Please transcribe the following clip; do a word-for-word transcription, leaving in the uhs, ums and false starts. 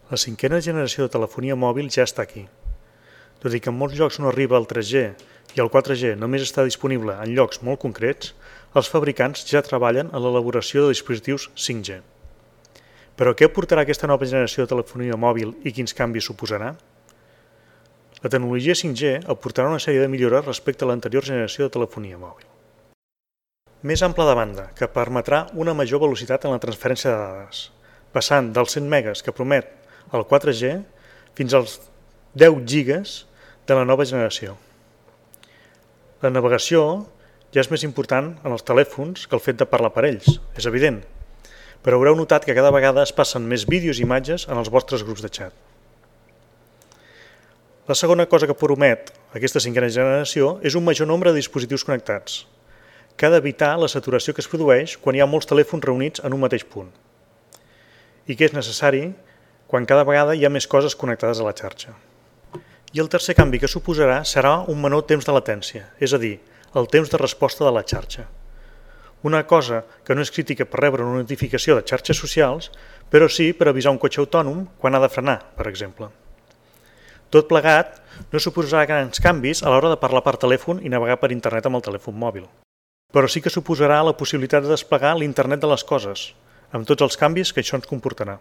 La cinquena generació de telefonia mòbil ja està aquí. Tot i que en molts llocs no arriba al tres G i el quatre G només està disponible en llocs molt concrets, els fabricants ja treballen en l'elaboració de dispositius cinc G. Però què aportarà aquesta nova generació de telefonia mòbil i quins canvis suposarà? La tecnologia cinc G aportarà una sèrie de millores respecte a l'anterior generació de telefonia mòbil. Més ampla de banda, que permetrà una major velocitat en la transferència de dades, passant dels cent megas que promet el quatre G fins als deu gigas de la nova generació. La navegació ja és més important en els telèfons que el fet de parlar per ells, és evident, però haureu notat que cada vegada es passen més vídeos i imatges en els vostres grups de xat. La segona cosa que promet aquesta cinquena generació és un major nombre de dispositius connectats, que ha d'evitar la saturació que es produeix quan hi ha molts telèfons reunits en un mateix punt, i que és necessari quan cada vegada hi ha més coses connectades a la xarxa. I el tercer canvi que suposarà serà un menor temps de latència, és a dir, el temps de resposta de la xarxa. Una cosa que no és crítica per rebre una notificació de xarxes socials, però sí per avisar un cotxe autònom quan ha de frenar, per exemple. Tot plegat no suposarà grans canvis a l'hora de parlar per telèfon i navegar per internet amb el telèfon mòbil, però sí que suposarà la possibilitat de desplegar l'internet de les coses, amb tots els canvis que això ens comportarà.